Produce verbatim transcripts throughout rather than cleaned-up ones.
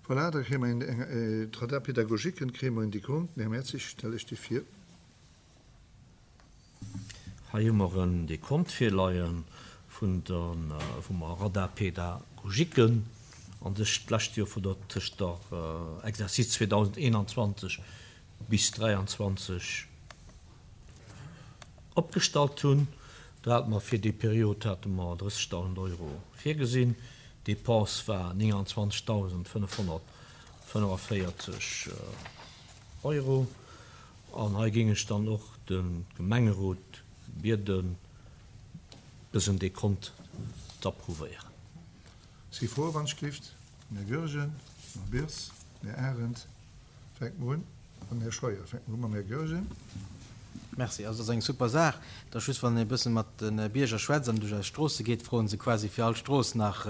Voilà, da kréie mer eng, d'Radar-pédagogiquen kréie mer en Dekont. Den Här Mertzig, stell ech déi vir. Hei hu mer en Dekont virleie vun der, vum Radar-pédagogiquen an sech d'lescht Joer vun der, tëscht der Exercice zweedausendeenanzwanzeg bis dräianzwanzeg opgestallt hunn. Do hate mer fir déi Period hate mer drëssegdausend Euro virgesinn. D'Dépense war nénganzwanzegdausendfënnefhonnertfënnefavéierzeg Euro. An hei géing ech dann och de Gemengerot bieden, dësen Dekont z'approuvéieren. Si Froe wann ech gelift? Den Här Goergen, den Här Birss, den Här Arendt. Fänke mer un. An den Här Scheuer. Fänke mer u mam Här Goergen. Merci. Also, dat ass eng super Saach. Et ass just, wann ee e bësse mat de Bierger schwätzt an duerch eis Stroosse geet, froen se quasi fir all Strooss nach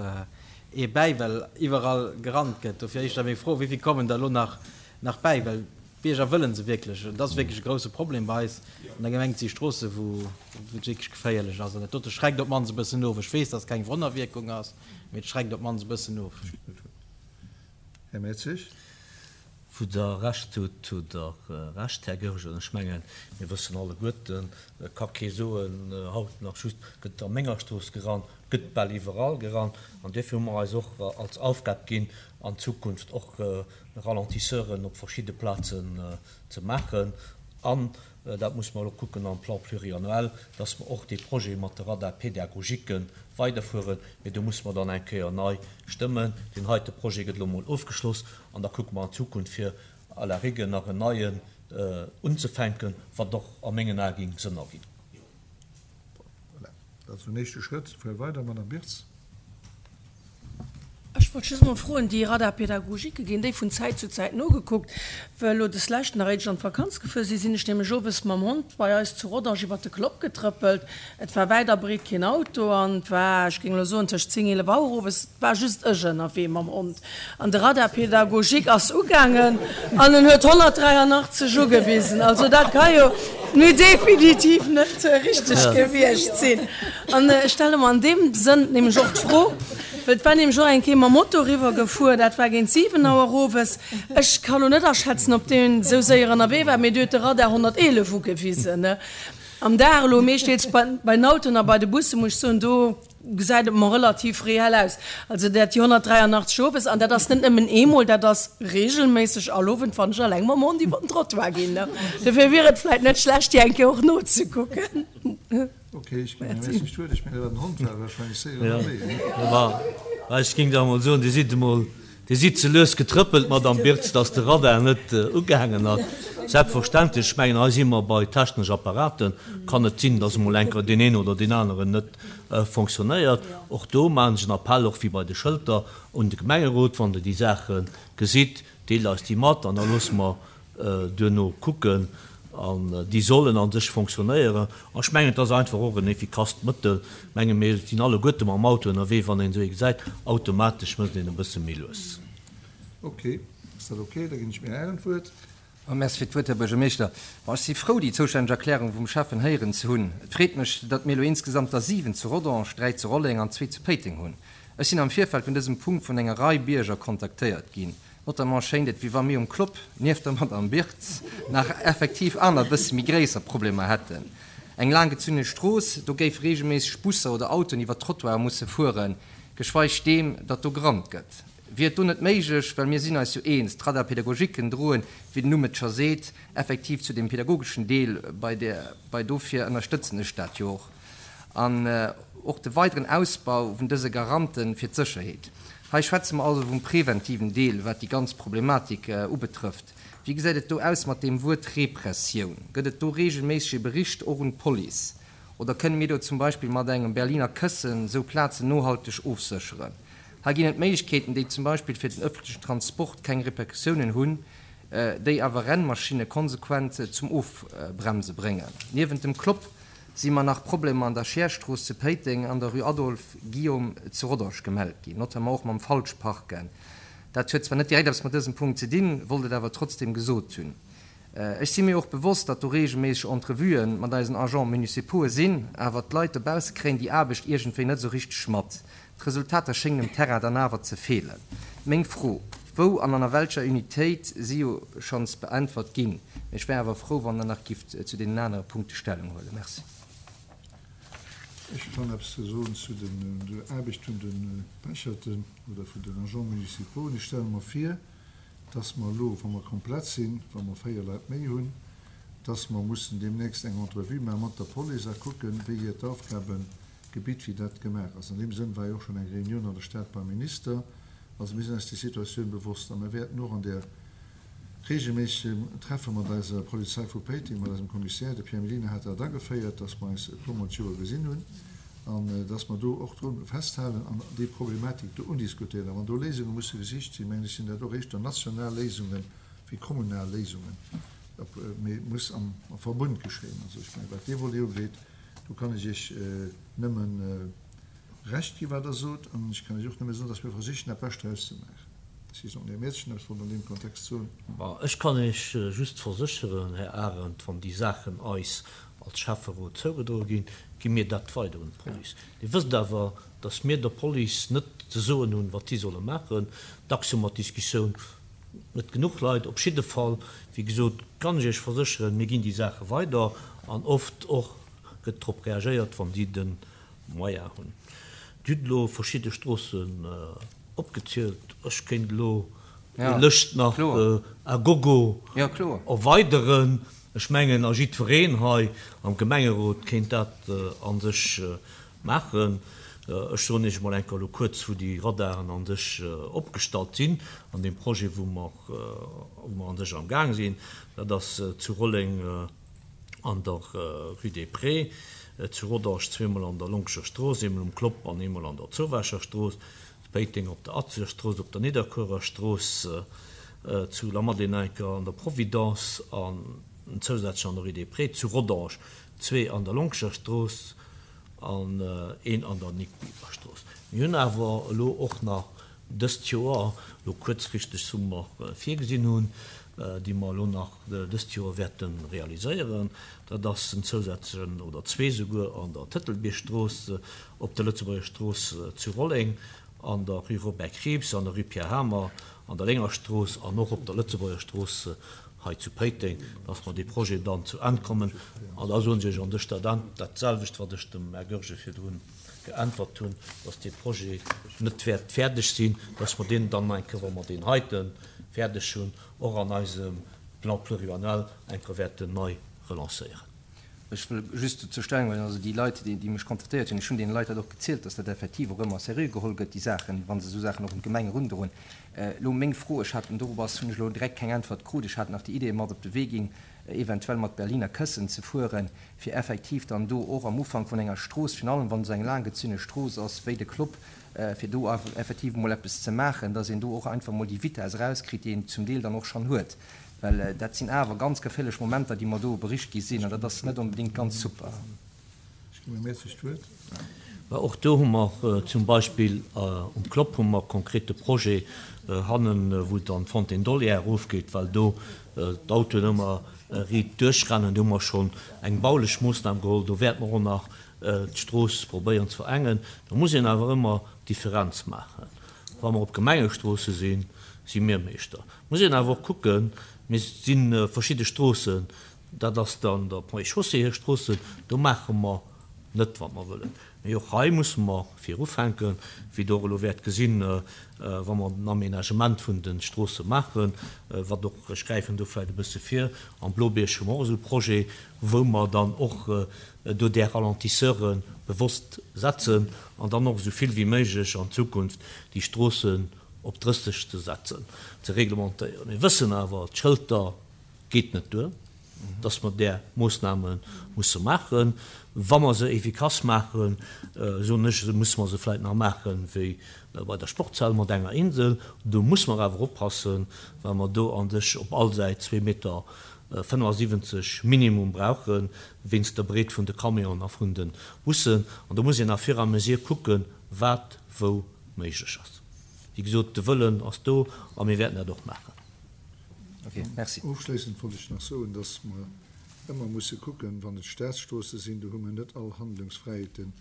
ee bäi, well iwwerall gerannt gëtt. Dofir éischter meng Fro, Wéi vill kommen der elo nach nach bäi? Well d'Bierger wëlle se wierklech. Et ass wierklech e grouse Problem bei eis an der Gemeng. Et si Stroosse, wou et wierklech geféierlech ass. An dat dote schreckt op d'mannst e bëssen of. Ech weess, dass et keng Wonnerwierkung ass, mee et schreckt op d'mannst e bëssen of. Här Mertzig. Wou Der Recht hutt, hutt Der Recht, Här Goergen. Ech mengen, mir wëssen alleguerten, et ka kee soen, haut nach just gëtt a menger Strooss gerannt, gëtt bal iwwerall gerannt. An duerfir hu mer eis och als Aufgab ginn, an Zukunft och Ralentisseuren op verschidde Plazen ze maachen. An dat musse mer elo kucken am Plan pluriannuel, dass mer och dee Projet mat de Radar-pédagogiquen weiderfueren. Mee do musse mer dann eng Kéier nei stëmmen. Deen heite Projet gëtt elo emol ofgeschloss an da kucke mer an Zukunft, fir à la rigueur nach en neien unzefänken, wat och a mengen Ae géing Sënn erginn. Voilà, dat ass den éischte Schrëtt. Fuere weider, Madame Birtz. Ech wollt just emol froen, déi Radar-pédagogique, ginn déi vun Zäit zu Zäit nogekuckt? Well elo des Lescht, nach éier ech an d'Vakanz gefuer sinn, sinn ech nämlech owes mam Hond bei eis zu Rodange iwwert de Klopp getrëppelt. Et war wäit a breet keen Auto an et war, ech géing elo soen, tëscht zéng, eelef Auer owes, et war just ech ënnerwee mam Hond. An de Radar pédagogique ass ugaangen an en huet honnertdräianachtzeg ugewisen. Also dat ka jo nu definitiv net richteg gewiescht sinn. An ech stelle mer an deem Sënn nämlech och d'Fro, well et war nämlech och eng Kéier mam Moto eriwwer gefuer, dat war géint siwen Auer owes. Ech ka lo net aschätzen, ob deen esou séier ënnerwee war, mee du huet de Radar honnerteelef ugewisen am Dag. Elo meeschteels bei den Autoen a bei de Busse muss ech soen, do gesäit et mer relativ reell aus. Also dat déi honnertdräianachtzeg owes, an dat ass net nëmmen eemol, dat ass reegelméisseg all Owend, wann ech eleng mam Hond iwwer den Trottoir ginn. Dofir wier et vläicht net schlecht, déi eng Kéier och nozekucken. Ok, ech ginn Här Messig d'Wuert. Ech mengen, dat war den Hond, war wahrscheinlech séier ënnerwee, ne? Jo, ech géing da emol soen, Dir sidd emol, Dir sidd ze lues getrëppelt, Madame Birtz, dass de Radar net ugehaangen ass. Selbstverständlech, ech mengen, hei si mer bei technesch Apparaten, kann et sinn, dass emol eng Kéier deen een oder deen aneren net fonctionnéiert. Och do maachen ech en Appell, och wéi bei de Schëlter, un de Gemengerot, Wann Der déi Saache gesitt, deelt eis déi mat an da loosse mer duerno kucken. An déi sollen a sech fonctionnéieren. An ech mengen, et ass einfach och en effikasst Mëttel. Ech menge mir sinn alleguerte mam Auto ënnerwee, wann een esou ee gesäit, automatesch mécht een e bësse méi lues. Ok, ass dat ok? Da ginn ech mir Ären d'Wuert. Merci fir d'Wuert, Här Buergermeeschter. Bon, ech si frou, déi zoustänneg Erklärung vum Schäffen héieren ze hunn. Et freet mech, datt mir elo insgesamt der siwen zu Rodange, dräi zu Rolleng an zwee zu Péiteng hunn. Ech sinn am Virfeld vun dësem Punkt vun enger Rei Bierger kontaktéiert ginn. Notamment schéint et, wéi wa mir um Clopp, nieft der Madame Birtz, nach effektiv aner, bësse méi gréisser Problemer hätten. Eng laanggezunne Strooss, do géife reegelméisseg Busser oder Autoen iwwer d'Trottoire musse fueren, geschweig deem, datt do gerannt gëtt. Wier et do net méiglech, well mir sinn eis jo eens, d'Radar-Pédagogiquen droen, wéi den Numm et scho seet, effektiv zu deem pedagogeschen Deel bei, bei dofir ënnerstëtzen ech dat jo och, an och de weideren Ausbau vun dëse Garante fir d'Sécherheet. Hei schwätze mer also vum preventiven Deel, wat déi ganz Problematik ubetrëfft. Wéi gesäit et do aus mat deem Wuert Repressioun? Gëtt et do reegelméisseg ee Bericht och un d'Police? Oder kënne mir do zum Beispill mat engem Berliner Këssen esou Plazen nohalteg ofsécheren? Hei ginn et Méiglechkeeten, déi zum Beispill fir den ëffentlechen Transport keng Repercussiounen hunn, déi awer Rennmaschinne konsequent zum Ofbremse bréngen. Niewent dem Clopp si mer nach Problemer an der Scheerstrooss zu Péiteng an der Rue Adolphe Guillaume zu Rodange gemellt ginn, notamment och mam Falschparken. Dat huet zwar net direkt eppes mat dësem Punkt ze dinn, wollt et awer trotzdem gesot hunn. Ech si mir och bewosst, datt do reegelméisseg Entrevuë mat eisen Agents municipaux'e sinn, awer d'Leit dobausse kréien déi Aarbecht iergendwéi net esou richteg mat. D'Resultater schéngen um Terrain dann awer ze feelen. Meng Fro, Wou an an welcher Unitéit si jo schonns beäntwert ginn. Ech wär awer frou, wann Der nach gifft zu deenen anere Punkte Stellung huelen. Merci. Ech kann eppes soen zu den, der Aarbecht vun de Pecherten oder vun den Agents municipaux. Ech stelle mer vir, dass mer elo, wa mer komplett sinn, wa mer véier Leit méi hunn, dass mer mussen deemnächst eng Entrevue maache mat der Police a kucken, wéi hiert Aufgabengebitt, wéi dat gemaach ass. An deem Sënn war jo och schonn eng Reunioun an der Stad beim Minister. Also mir sinn eis déi Situatioun bewosst a mir wäerten och an där reegelméissegem Treffe mat eiser Polizei vu Péiteng, mat eisem Kommissär, de Pierre Mellina hat dat ageféiert, dass mer eis e puermol d'Joer gesinn hunn an dass mer do och dru festhalen an déi Problematik do undiskutéieren. A wann do Léisunge musse gesicht sinn, mengen ech, sinn dat och éischter national Léisunge wéi kommunal Léisungen. Mee et muss am Verbund geschéien. Also ech mengen, wat dee Volet ugeet, do kann ech Iech nëmmen Recht ginn, wat Der sot. An ech kann Iech och nëmme soen, dass mir versichen, dat Bescht draus ze maachen. Ech weess net, ob den Här Mertz eppes wollt an deem Kontext soen. Ech kann Iech just versécheren, Här Arendt, wann déi Saachen eis als Schäfferot zougedroe ginn, gi mir dat weider un d'Police. Dir wësst awer, dass mir der Police net ze soen hunn, wat si solle maachen. Dacks hu mer d'Diskussioun, net genuch Leit. Op jidde Fall, wéi gesot, kann ech Iech versécheren, mir ginn déi Saache weider an oft och gëtt drop reagéiert, wann si de Moyen hunn. Dir hutt elo verschidde Stroossen opgezielt. Ech kéint elo déi Lëscht nach à gogo erweideren. Ech mengen, a jiddwereen hei am Gemengerot kéint dat a sech maachen. Ech soen Iech emol eng Kéier elo kuerz, wou déi Radaren a sech opgestallt sinn an deem Projet, wou mer, wou mer a sech amgaang sinn. Dat ass zu Rolleng an der Rue des Prés, zu Rodange zweemol an der Lonkescher Strooss, eemol um Klopp an eemol an der Zowaacher Strooss, zu Péiteng op der Atzeger Strooss, op der Nidderkuerer Strooss, zu Lamadelaine an der Providence an zousätzlech an der Rue des Prés, zu Rodange zwee an der Lonkescher Strooss an een an der Nic Biever Strooss. Mir hunn awer elo och nach dëst Joer, elo kuerzfristeg, wou mer virgesinn hunn, déi mer elo nach dëst Joer wäerte realiséieren, dat ass en zousätzlechen oder zwee souguer an der Tëtelbiergstrooss, op der Lëtzebuerger Strooss zu Rolleng, an der Rue Robert Krieps, an der Rue Pierre Hamer, an der Léngerstrooss an och op der Lëtzebuerger Strooss hei zu Péiteng, dass mer dee Projet dann zu Enn kommen. An da soen ech Iech an dech dat dat selwecht, wat ech dem Här Goergen virdrun geäntwert hunn, dass dee Projet net wäert fäerdeg sinn, dass mer deen dann eng Kéier, wa mer deen heite fäerdeg hunn, och an eisem Plan pluriannuel eng Kéier wäerten nei relancéieren. Ech wëll just dozou Stellung huelen, also déi Leit, déi mech kontaktéiert hunn, ech hunn deene Leit dat och gezielt, dass dat effektiv och ëmmer seriö geholl gëtt, déi Saachen, wa se esou Saachen och un d'Gemeng erundroen. Elo meng Fro, ech hat, dorop ass, hunn ech elo direkt keng Äntwert krut, ech hat nach déi Idee mat op de Wee ginn, eventuell mat Berliner Këssen ze fueren, fir effektiv dann do och am Ufank vun enger Strooss, virun allem wann esou eng laanggezunne Strooss ass wéi de Clopp, fir do effektiv emol eppes ze maachen, dass een do och einfach emol déi Vitesse erauskritt, déi een zum Deel dann och schonn huet. Well dat sinn awer ganz geféierlech Momenter, déi mer do bericht gi sinn, an dat ass net onbedéngt ganz super. Ech ginn dem Här Mertzig d'Wuert. Mä och do hu mer zum Beispill um Clopp hu mer konkrete Projet hannen, wou et an d'Fontaine d'Olière erofgeet, well do d'Autoen ëmmer riit duerchrennen. Do hu mer schonn eng baulech Moossnam geholl. Do wäerte mer och nach d'Strooss probéieren ze verengen. Do muss een awer ëmmer d'Differenz maachen. Wa mer op Gemengestroosse sinn, si mir Meeschter. Muss een awer och kucken, mir si verschidde Stroossen, dat ass dann der Ponts et Chaussées hir Stroossen, do maache mer net wat mer wëllen. Mee och hei musse mer virufänken, wéi Der och elo wäert gesinn, wa mer den Aménagement vun de Stroosse maachen, wat och, ech gräifen do vläicht e bësse vir, am Blobierg hu mer och esou e Projet, wou mer dann och do där Ralentisseure bewosst setzen an dann och esou vill wéi méiglech an Zukunft déi Stroossen op drësseg ze setzen, ze reglementéieren. Mir wëssen awer, d'Schëlter geet net duer, dass mer där Moossname musse maachen. Wa mer se efficace maachen, soen ech, esou musse mer se vläicht nach maache wéi bei der Sportshal mat enger Insel. Do musse mer awer oppassen, well mer do an sech op all Säit zwee Meter fënnefasiwwenzeg minimum brauchen, wéinst der Breet vun de Camionen a vun de Bussen. An do muss een à fur et à mesure kucken, wat wou méiglech ass. Wéi gesot, de Wëllen ass do a mir wäerten dat och maachen. Ok, merci. Ofschléissend wollt ech nach soen, dass mer ëmmer musse kucken, wann et Staatsstroosse sinn, do hu mer net all Handlungsfräiheeten,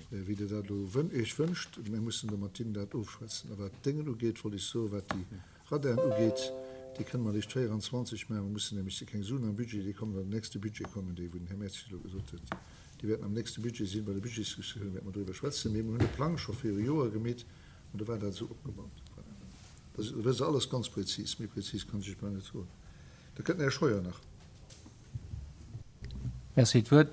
wéi Der dat elo Iech wënscht. Mir mussen do mat hinnen dat ofschwätzen. A wat d'Déngen ugeet, wollt ech soen, wat déi Radaren ugeet, déi kënne mer eréischt véieranzwanzeg maachen. Mer mussen nämlech, si keng Suen am Budget, déi kommen an den nächste Budget kommen, déi wou den Här Mertzig elo gesot huet, déi wäerten am nächste Budget sinn. Bei der Budgetsdiskussioun wäerte mer doriwwer schwätzen. Mee mer hunn de Plang scho viru Joer gemeet an do war dat esou opgebaut. Voilà. Da wësst Der alles ganz prezis. Méi prezis kann ech Iech bal net soen. Da kënnt den Här Scheuer nach. Merci d'Wuert.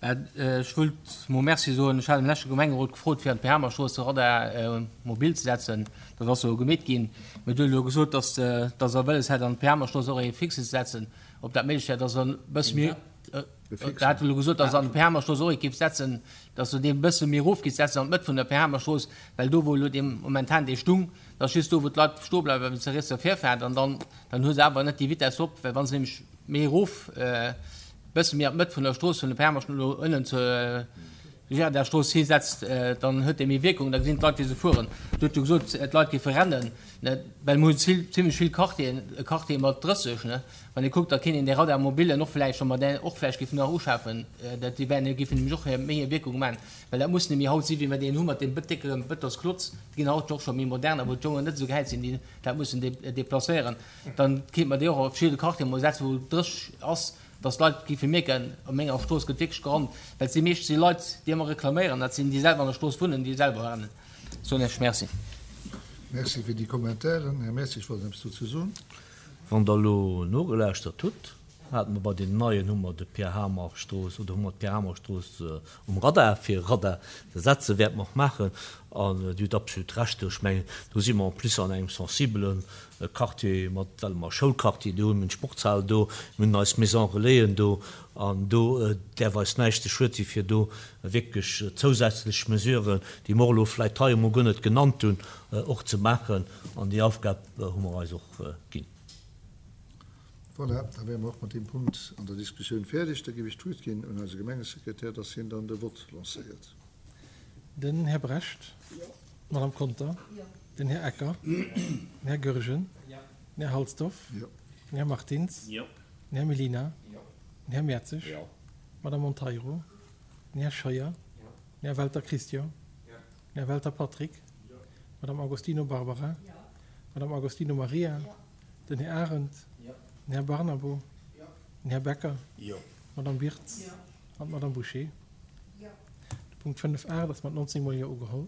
Ech wëllt mol Merci soen. Ech hat am leschte Gemengerot gefrot, fir an d'Pehaamerstrooss de Radar mobil ze setzen. Dat ass elo gemeet ginn. Mir huet elo gesot, dass dass Der wëlles hätt, an d'Pehaamerstrooss och ee fixe ze setzen. Ob dat méiglech wär, dass Der e bësse méi, Der hat elo gesot, dass Der an d'Pehaamerstrooss och ee géift setzen, dass Der dee e bësse méi erof géift setzen an d'Mëtt vun der Pehaamerstrooss, well do, wou elo dee momentan dee stung, dat ass just do, wou d'Leit stoe bleiwen, well se riets der Virfaart an dann, dann hu se awer net déi Vitess op, well wa se nämlech méi erof, bësse méi an d'Mëtt vun der Strooss vun de Permaschen elo ënnen zur Girarderstrooss hi setzt, dann huet dee méi Wierkung, da gesinn d'Leit wéi se fueren. Dir hutt jo gesot, d'Leit géife rennen, ne, well mir hunn zimlech vill Quartieren, e Quartier mat drësseg, ne, wann ee kuckt, da kéint een dee Radar mobilen och vläicht, wa mer deen och vläicht géifen nach uschafen, dat déi wären, géifen nämlech och méi hir Wierkung maachen, well dat muss nemmi haut si wéi mer deen hu mat deem déckere Bëtonsklotz, déi ginn haut och scho méi modern, a wou d'Jongen net esou gehäit sinn, déi dat mussen deplacéieren, dann kéint mer déi och a verschidde Quartiere mol setzen, wou drësseg ass. Dass d'Leit géife mierken, op menger Strooss gëtt wierklech gerannt, well et si meeschtens déi Leit, déi ëmmer reklaméieren, dat sinn déi selwer an der Strooss wunnen, déi selwer rennen. Soen ech Merci. Merci fir déi Commentairen. Här Mertzig wollt eppes dozou soen. Wann Der elo nogelauschtert hutt, hate mer bei deenen Neien, hu mer de Pierre Hamer Strooss oder hu mer d'Pierre Hamer Strooss um Radar, fir e Radar ze setzen, wäerte mer och maachen. An Dir hutt absolut Recht do. Ech mengen, do si mer en plus an engem sensibelen Quartier mat, well mer e Schoulquartier do hunn, mir hunn d'Sportshal do, mir hunn eis Maison Relaisen do, an do däerf eis näischt ze schued si fir do wierklech zousätzlech Mesuren, déi mer och elo vläicht hei emol guer net genannt hunn, och ze maachen. An déi Aufgab hu mer eis och ginn. Voilà, da wäre mer och mat deem Punkt an der Diskussioun fäerdeg. Da géif ech d'Wuert ginn un eise Gemengesekretär, dass hien dann de Vott lancéiert. Den Här Brecht. D'Madame Conter. Den Här Ecker. Den Här Goergen. Den Här Halsdorf. Den Här Martins. Den Här Mellina. Den Här Mertzig. D'Madame Monteiro. Den Här Scheuer. Den Här Welter Christian. Den Här Welter Patrick. D'Madame Agostino Barbara. D'Madame Agostino Maria. Den Här Arendt. Den Här Barnabo. Den Här Becker. D'Madame Birtz. An d'Madame Bouché. De Punkt fënnef aacht ass mat nonzéng Mol Jo ugeholl.